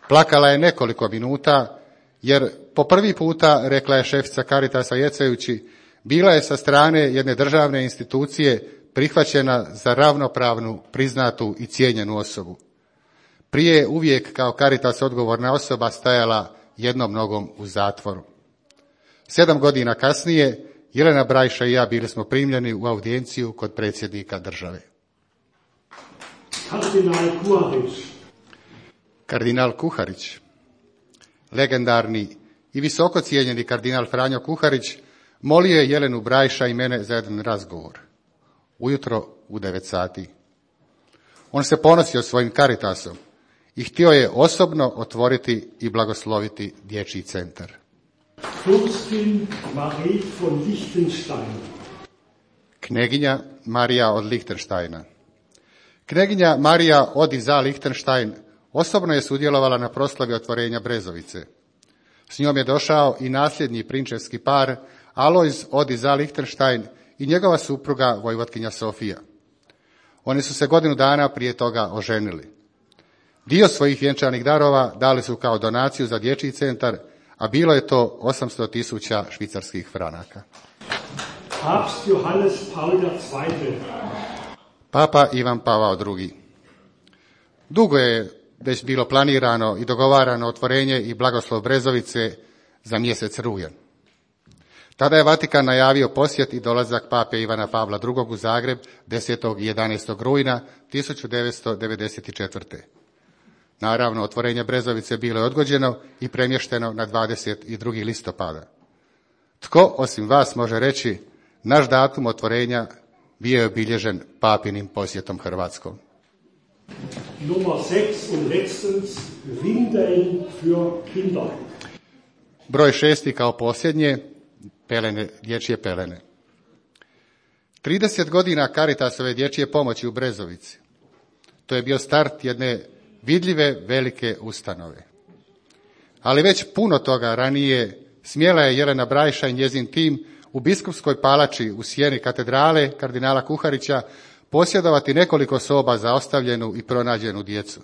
Plakala je nekoliko minuta, jer po prvi puta, rekla je šefica Caritasa jecajući, bila je sa strane jedne državne institucije prihvaćena za ravnopravnu, priznatu i cijenjenu osobu. Prije je uvijek kao Caritas odgovorna osoba stajala jednom nogom u zatvoru. 7 godina kasnije Jelena Brajša i ja bili smo primljeni u audijenciju kod predsjednika države. Kardinal Kuharić, legendarni i visoko cijenjeni kardinal Franjo Kuharić, molio je Jelenu Brajša i mene za jedan razgovor. Ujutro u 9 sati. On se ponosio svojim Caritasom i htio je osobno otvoriti i blagosloviti dječji centar. Fürstin Marie von Liechtenstein. Kneginja Marija od Lichtensteina. Kneginja Marija od Iza Lichtenstein osobno je sudjelovala na proslavi otvorenja Brezovice. S njom je došao i nasljednji prinčevski par Alojz od Iza Lichtenstein i njegova supruga vojvotkinja Sofija. Oni su se godinu dana prije toga oženili. Dio svojih vjenčanih darova dali su kao donaciju za dječji centar, a bilo je to 800.000 švicarskih franaka. Papst Johannes Paul II. Papa Ivan Pavao II. Dugo je već bilo planirano i dogovarano otvorenje i blagoslov Brezovice za mjesec rujan. Tada je Vatikan najavio posjet i dolazak pape Ivana Pavla II. U Zagreb 10. i 11. rujna 1994. Naravno, otvorenje Brezovice bilo je odgođeno i premješteno na 22. listopada. Tko osim vas može reći, naš datum otvorenja bio je obilježen papinim posjetom Hrvatskom. Nummer 6 und letztens Windeln für Kinder. Broj 6 kao posljednje, pelene, dječje pelene. 30 godina Caritasove dječje pomoći u Brezovici. To je bio start jedne vidljive velike ustanove. Ali već puno toga ranije smjela je Jelena Brajša i njezin tim u biskupskoj palači u sjeni katedrale kardinala Kuharića posjedovati nekoliko soba za ostavljenu i pronađenu djecu.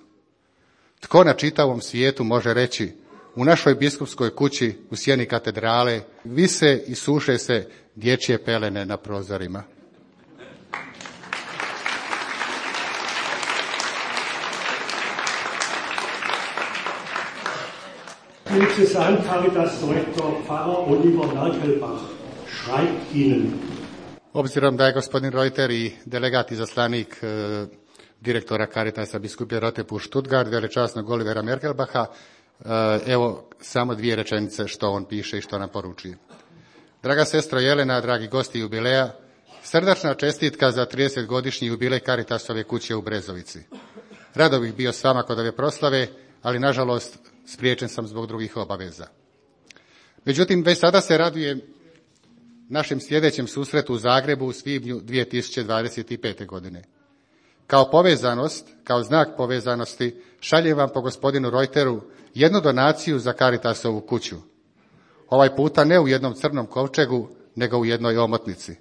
Tko na čitavom svijetu može reći, u našoj biskupskoj kući u sjeni katedrale vise i suše se dječje pelene na prozorima. Diözesan Caritas Direktor Pfarrer Oliver Merkelbach schreibt Ihnen. Obzirom da je gospodin Reuter i delegat i zaslanik direktora Caritasa biskupije Rotepur Stuttgart, velečasnog Olivera Merkelbacha, evo samo 2 rečenice što on piše i što nam poručuje. Draga sestro Jelena, dragi gosti jubileja, srdačna čestitka za 30-godišnji jubilej Caritasove kuće u Brezovici. Rado bih bio s vama kod ove proslave, ali nažalost spriječen sam zbog drugih obaveza. Međutim, već sada se radujem našem sljedećem susretu u Zagrebu u svibnju 2025. godine. Kao povezanost, kao znak povezanosti, šaljem vam po gospodinu Reuteru jednu donaciju za Caritasovu kuću. Ovaj puta ne u jednom crnom kovčegu, nego u jednoj omotnici.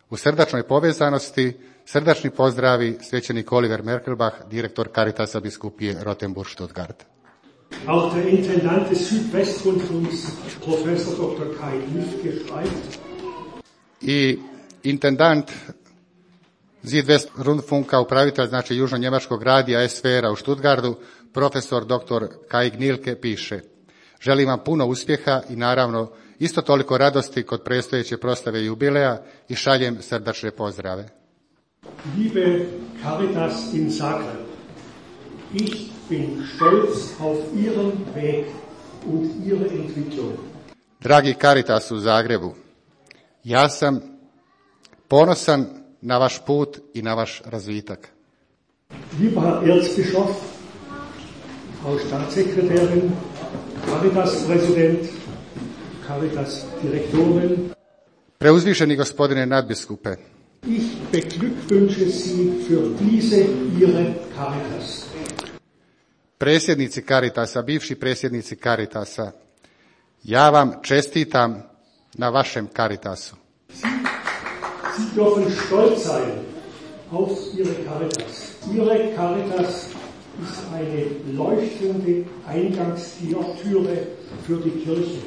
U srdačnoj povezanosti, srdačni pozdravi, svećenik Oliver Merkelbach, direktor Caritasa biskupije Rottenburg Stuttgart. Auch der Intendant des Südwestrundfunks, Professor Dr. Kai Nifke, schreibt. I intendant Südwestrundfunka, upravitelj, znači južno-njemačkog radija SWR-a u Stuttgartu, profesor dr. Kai Gnilke piše: želim vam puno uspjeha i naravno isto toliko radosti kod predstojeće proslave jubileja i šaljem srdačne pozdrave. Liebe Caritas in Zagreb, ich bin stolz auf Ihren Weg und Ihre Entwicklung. Dragi Caritas u Zagrebu, ja sam ponosan na vaš put i na vaš razvitak. Lieber Herr Erzbischof, Frau Staatssekretärin, Caritas-Präsident, Caritas-Direktorin, Preuzvišeni gospodine nadbiskupe, ich beglückwünsche Sie für diese Ihre Caritas. Predsjednici Caritasa, bivši predsjednici Caritasa, ja vam čestitam na vašem Caritasu. Sie dürfen stolz sein auf Ihre Caritas. Ihre Caritas ist eine leuchtende Eingangstüre für die Kirche.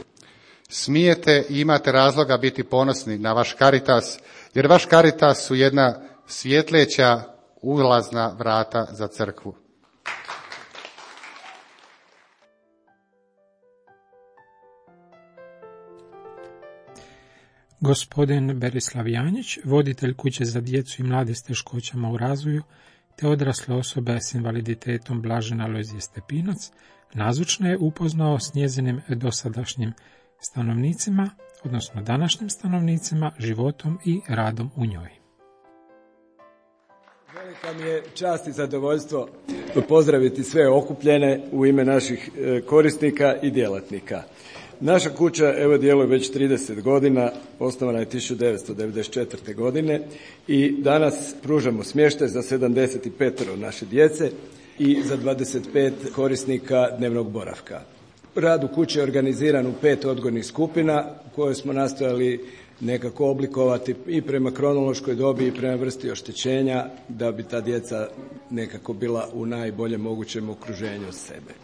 Smijete i imate razloga biti ponosni na vaš Caritas, jer vaš Caritas su jedna svjetleća ulazna vrata za crkvu. Gospodin Berislav Janjić, voditelj kuće za djecu i mlade s teškoćama u razvoju, te odrasle osobe s invaliditetom Blažena Alojzije Stepinac, nazočno je upoznao s njezinim dosadašnjim stanovnicima, odnosno današnjim stanovnicima, životom i radom u njoj. Velika mi je čast i zadovoljstvo pozdraviti sve okupljene u ime naših korisnika i djelatnika. Naša kuća evo djeluje već 30 godina, osnovana je 1994. godine i danas pružamo smještaj za 75 naše djece i za 25 korisnika dnevnog boravka. Rad u kući je organiziran u 5 odgojnih skupina koje smo nastojali nekako oblikovati i prema kronološkoj dobi i prema vrsti oštećenja da bi ta djeca nekako bila u najboljem mogućem okruženju sebe.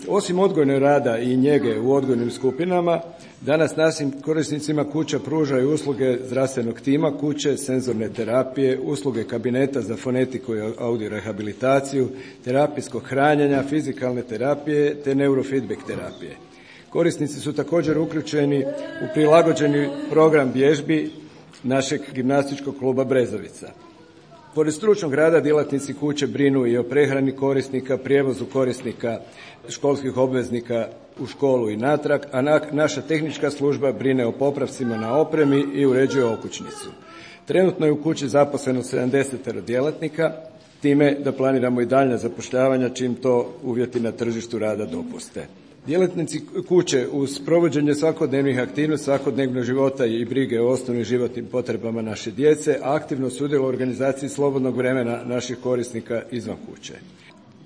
Osim odgojnog rada i njege u odgojnim skupinama, danas našim korisnicima kuća pruža i usluge zdravstvenog tima kuće, senzorne terapije, usluge kabineta za fonetiku i audio rehabilitaciju, terapijskog hranjenja, fizikalne terapije te neurofeedback terapije. Korisnici su također uključeni u prilagođeni program vježbi našeg gimnastičkog kluba Brezovica. Pored stručnog rada djelatnici kuće brinu i o prehrani korisnika, prijevozu korisnika školskih obveznika u školu i natrag, a naša tehnička služba brine o popravcima na opremi i uređuje okućnicu. Trenutno je u kući zaposleno 70 djelatnika, time da planiramo i daljnja zapošljavanja čim to uvjeti na tržištu rada dopuste. Djelatnici kuće uz provođenje svakodnevnih aktivnosti, svakodnevnog života i brige o osnovnim životnim potrebama naše djece aktivno sudjeluju u organizaciji slobodnog vremena naših korisnika izvan kuće.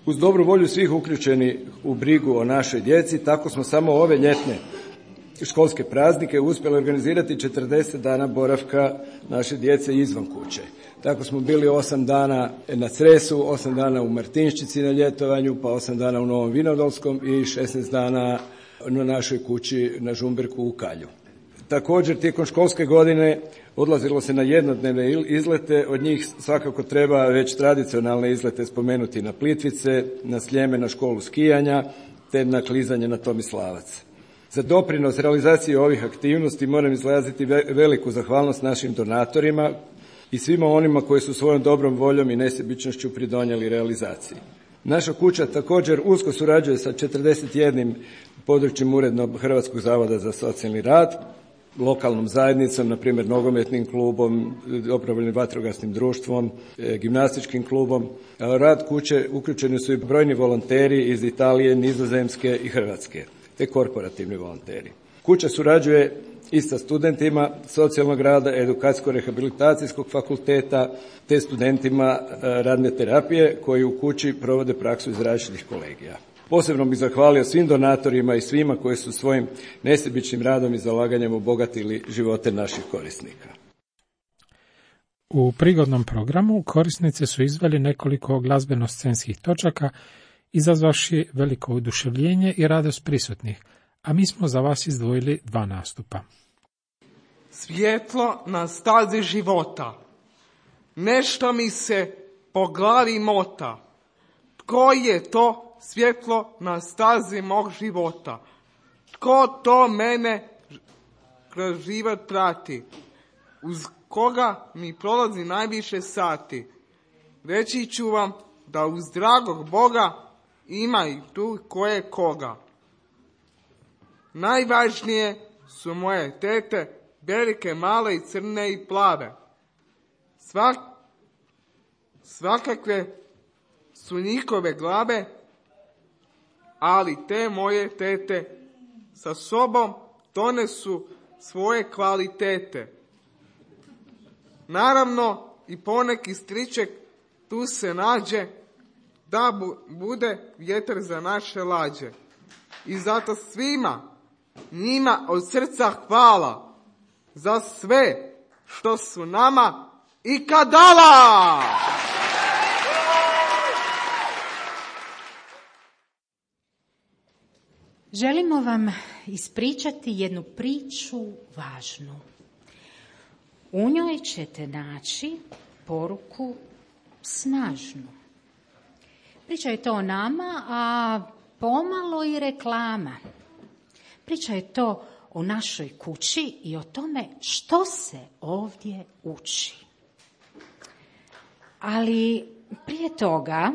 Uz dobru volju svih uključenih u brigu o našoj djeci, tako smo samo ove ljetne školske praznike uspjeli organizirati 40 dana boravka naše djece izvan kuće. Tako smo bili 8 dana na Cresu, 8 dana u Martinščici na ljetovanju, pa 8 dana u Novom Vinodolskom i 16 dana na našoj kući na Žumberku u Kalju. Također, tijekom školske godine odlazilo se na jednodnevne izlete, od njih svakako treba već tradicionalne izlete spomenuti na Plitvice, na Sljeme, na školu skijanja, te na klizanje na Tomislavac. Za doprinos realizaciji ovih aktivnosti moram izraziti veliku zahvalnost našim donatorima i svima onima koji su svojom dobrom voljom i nesebičnošću pridonijeli realizaciji. Naša kuća također usko surađuje sa 41 područjem urednog Hrvatskog zavoda za socijalni rad, lokalnom zajednicom, na primjer nogometnim klubom, dobrovoljnim vatrogasnim društvom, gimnastičkim klubom. Rad kuće uključeni su i brojni volonteri iz Italije, Nizozemske i Hrvatske, te korporativni volonteri. Kuća surađuje i sa studentima socijalnog rada, edukacijsko-rehabilitacijskog fakulteta, te studentima radne terapije koji u kući provode praksu iz različitih kolegija. Posebno bih zahvalio svim donatorima i svima koji su svojim nesebičnim radom i zalaganjem obogatili živote naših korisnika. U prigodnom programu korisnice su izveli nekoliko glazbeno-scenskih točaka, izazvavši veliko oduševljenje i radost prisutnih, a mi smo za vas izdvojili 2 nastupa. Svjetlo na stazi života. Nešto mi se po glavi mota. Tko je to svjetlo na stazi mog života? Tko to mene kroz život prati? Uz koga mi prolazi najviše sati? Reći ću vam da uz dragog Boga ima i tu koje koga. Najvažnije su moje tete, velike, male i crne i plave. Svakakve su njihove glave, ali te moje tete sa sobom donesu svoje kvalitete. Naravno i poneki striček tu se nađe da bude vjetar za naše lađe. I zato svima njima od srca hvala za sve što su nama ikad dala. Želimo vam ispričati jednu priču važnu. U njoj ćete naći poruku snažnu. Priča je to o nama, a pomalo i reklama. Priča je to o našoj kući i o tome što se ovdje uči. Ali prije toga,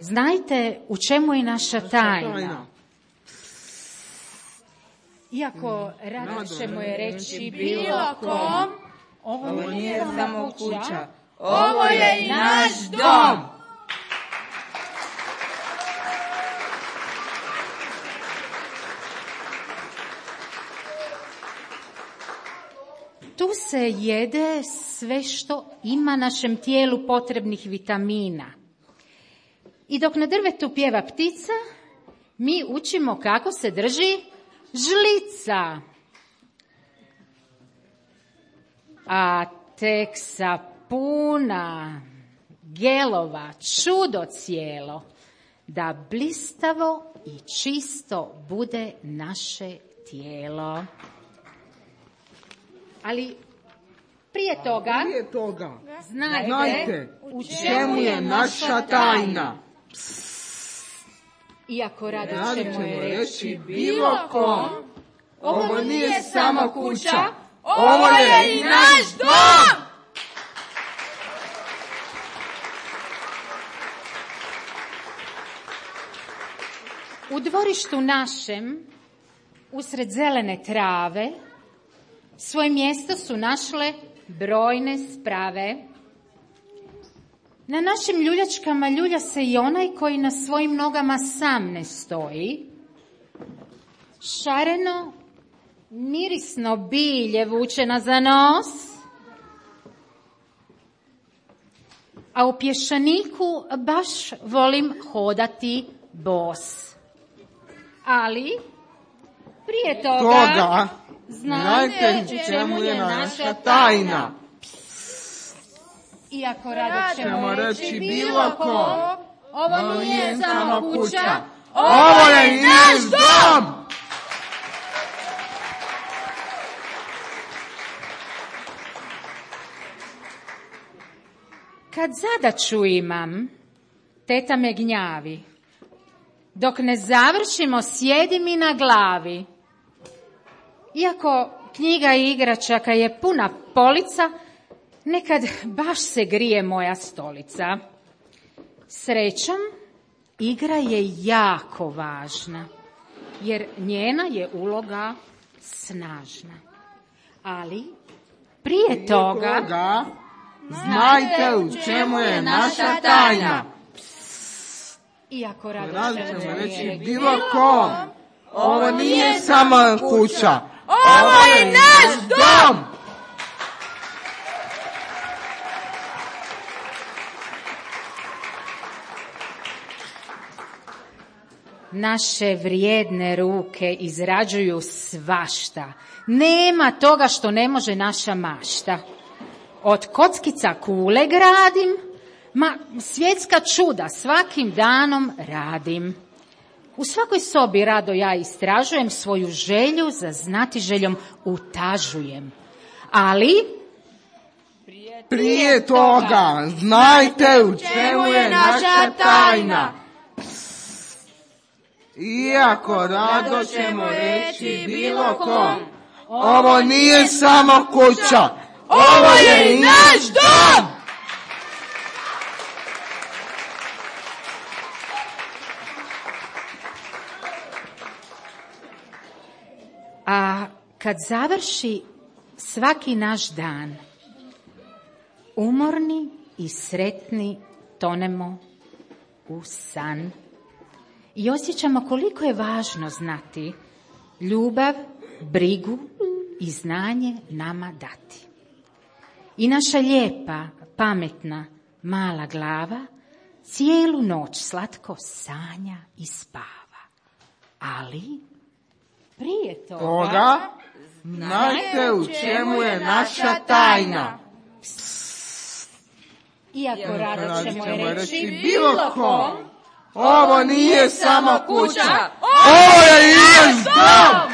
znajte u čemu je naša tajna. Iako rado ćemo je reći bilo kom, ovo nije samo kuća. ovo je i naš dom. Tu se jede sve što ima našem tijelu potrebnih vitamina. I dok na drvetu pjeva ptica, mi učimo kako se drži žlica. A tek sapuna, gelova, čudo cijelo, da blistavo i čisto bude naše tijelo. Ali prije toga znajte u čemu je naša tajna. Iako rado ćemo je reći bilo kom, ovo nije samo kuća, ovo je i naš dom! U dvorištu našem, usred zelene trave, svoje mjesto su našle brojne sprave. Na našim ljuljačkama ljulja se i onaj koji na svojim nogama sam ne stoji. Šareno, mirisno bilje vuče nas za nos, a u pješaniku baš volim hodati bos. Ali prije toga znajte u čemu je naša tajna. Iako rado ćemo reći bilo kom, ovo nije samo kuća, ovo je i naš dom! Kad zadaću imam, teta me gnjavi. Dok ne završimo, sjedi mi na glavi. Iako knjiga i igračaka je puna polica, nekad baš se grije moja stolica. Srećom, igra je jako važna, jer njena je uloga snažna. Ali prije toga znajte u čemu je naša tajna. Iako rado ćemo reći bilo kom, ovo nije samo kuća, ovo je naš dom! Naše vrijedne ruke izrađuju svašta. Nema toga što ne može naša mašta. Od kockica kule gradim, ma svjetska čuda svakim danom radim. U svakoj sobi rado ja istražujem, svoju želju za znatiželjom utažujem. Ali prije toga znajte u čemu je naša tajna. Iako rado ćemo reći bilo kom, ovo nije samo kuća, ovo je i naš dom! A kad završi svaki naš dan, umorni i sretni tonemo u san. I osjećamo koliko je važno znati ljubav, brigu i znanje nama dati. I naša lijepa, pametna, mala glava cijelu noć slatko sanja i spava. Ali prije toga znajte u čemu je naša tajna. Iako rado ćemo reći bilo kom, ovo nije samo kuća, ovo je i naš dom!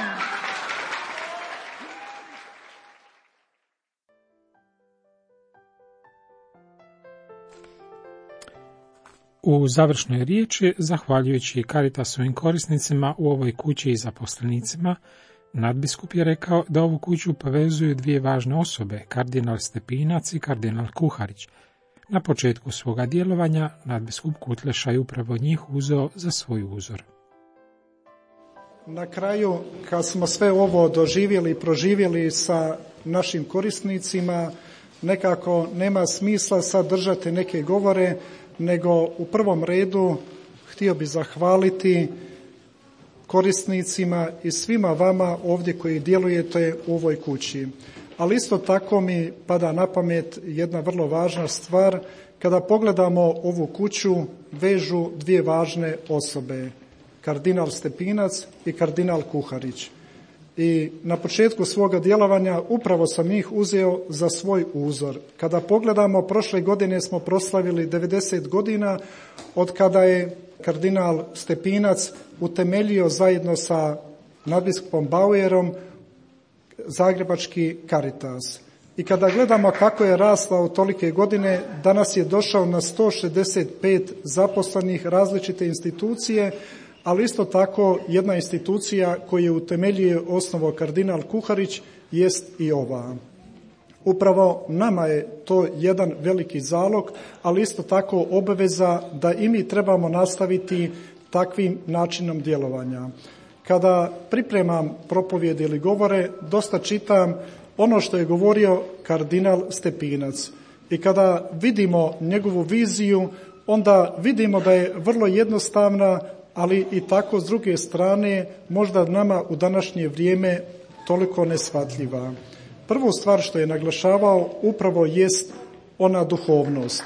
U završnoj riječi, zahvaljujući Caritasovim korisnicima u ovoj kući i zaposlenicima, nadbiskup je rekao da ovu kuću povezuju dvije važne osobe, kardinal Stepinac i kardinal Kuharić. Na početku svoga djelovanja nadbiskup Kutleša je upravo njih uzeo za svoj uzor. Na kraju, kad smo sve ovo doživjeli i proživjeli sa našim korisnicima, nekako nema smisla sad držati neke govore, nego u prvom redu htio bi zahvaliti korisnicima i svima vama ovdje koji djelujete u ovoj kući. Ali isto tako mi pada na pamet jedna vrlo važna stvar. Kada pogledamo ovu kuću, vežu dvije važne osobe, kardinal Stepinac i kardinal Kuharić. I na početku svoga djelovanja upravo sam njih uzeo za svoj uzor. Kada pogledamo, prošle godine smo proslavili 90 godina od kada je kardinal Stepinac utemeljio zajedno sa nadbiskupom Bauerom zagrebački Caritas. I kada gledamo kako je rasla u tolike godine, danas je došao na 165 zaposlenih različite institucije, ali isto tako jedna institucija koju je utemeljio osnovo kardinal Kuharić jest i ova. Upravo nama je to jedan veliki zalog, ali isto tako obaveza da i mi trebamo nastaviti takvim načinom djelovanja. Kada pripremam propovjedi ili govore, dosta čitam ono što je govorio kardinal Stepinac. I kada vidimo njegovu viziju, onda vidimo da je vrlo jednostavna, ali i tako s druge strane možda nama u današnje vrijeme toliko neshvatljiva. Prvu stvar što je naglašavao upravo jest ona duhovnost,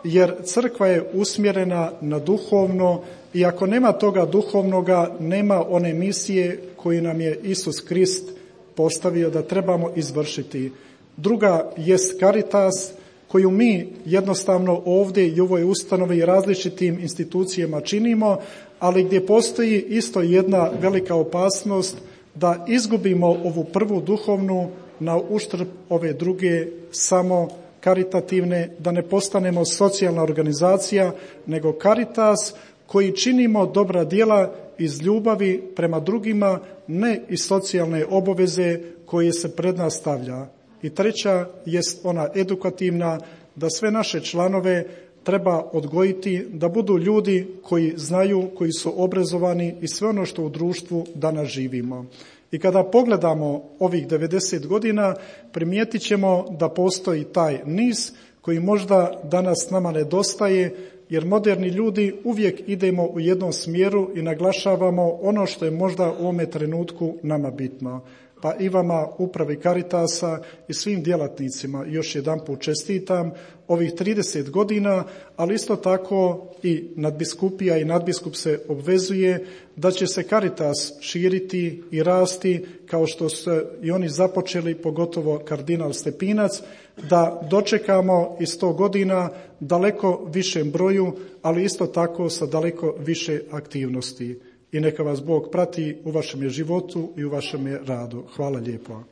jer crkva je usmjerena na duhovno i ako nema toga duhovnoga, nema one misije koju nam je Isus Krist postavio da trebamo izvršiti. Druga jest Caritas, koju mi jednostavno ovdje i u ovoj ustanovi i različitim institucijama činimo, ali gdje postoji isto jedna velika opasnost da izgubimo ovu prvu duhovnu na uštrb ove druge samo karitativne, da ne postanemo socijalna organizacija, nego Caritas koji činimo dobra djela iz ljubavi prema drugima, ne iz socijalne obaveze koje se pred nas stavlja. I treća jest ona edukativna, da sve naše članove treba odgojiti, da budu ljudi koji znaju, koji su obrazovani i sve ono što u društvu danas živimo. I kada pogledamo ovih 90 godina, primijetit ćemo da postoji taj niz koji možda danas nama nedostaje, jer moderni ljudi uvijek idemo u jednom smjeru i naglašavamo ono što je možda u ovome trenutku nama bitno. Pa i vama, upravi Caritasa i svim djelatnicima još jedanput čestitam ovih 30 godina, ali isto tako i nadbiskupija i nadbiskup se obvezuje da će se Caritas širiti i rasti kao što su i oni započeli, pogotovo kardinal Stepinac, da dočekamo iz 100 godina daleko višem broju, ali isto tako sa daleko više aktivnosti. I neka vas Bog prati u vašem životu i u vašem radu. Hvala lijepo.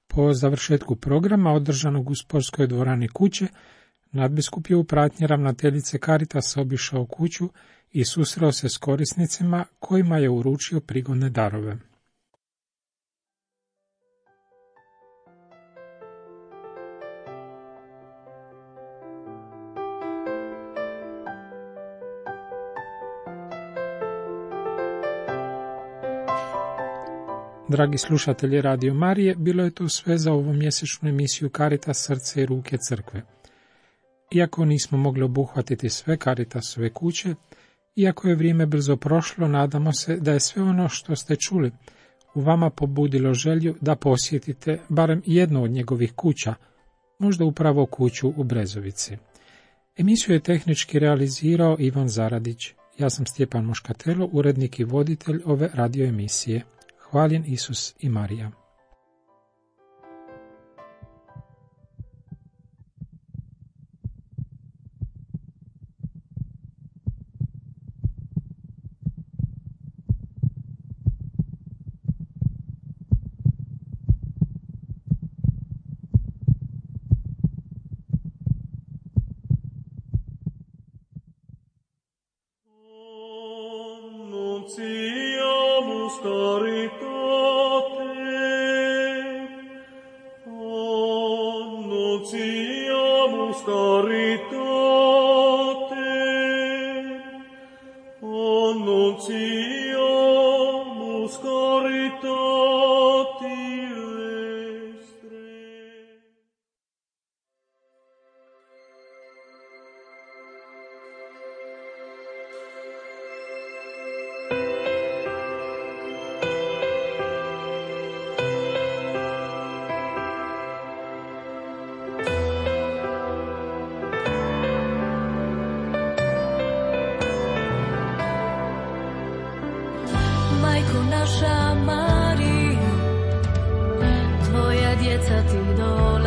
Po završetku programa održanog u sportskoj dvorani kuće, nadbiskup je u pratnji ravnateljice Caritasa obišao kuću i susreo se s korisnicima kojima je uručio prigodne darove. Dragi slušatelji Radio Marije, bilo je to sve za ovu mjesečnu emisiju Caritas srce i ruke crkve. Iako nismo mogli obuhvatiti sve Caritasove kuće, iako je vrijeme brzo prošlo, nadamo se da je sve ono što ste čuli u vama pobudilo želju da posjetite barem jednu od njegovih kuća, možda upravo kuću u Brezovici. Emisiju je tehnički realizirao Ivan Zaradić. Ja sam Stjepan Moškatelo, urednik i voditelj ove radio emisije. Hvaljen Isus i Marija. Annunciamus caritative. Majko naša Marija, tvoja djeca ti dolaze.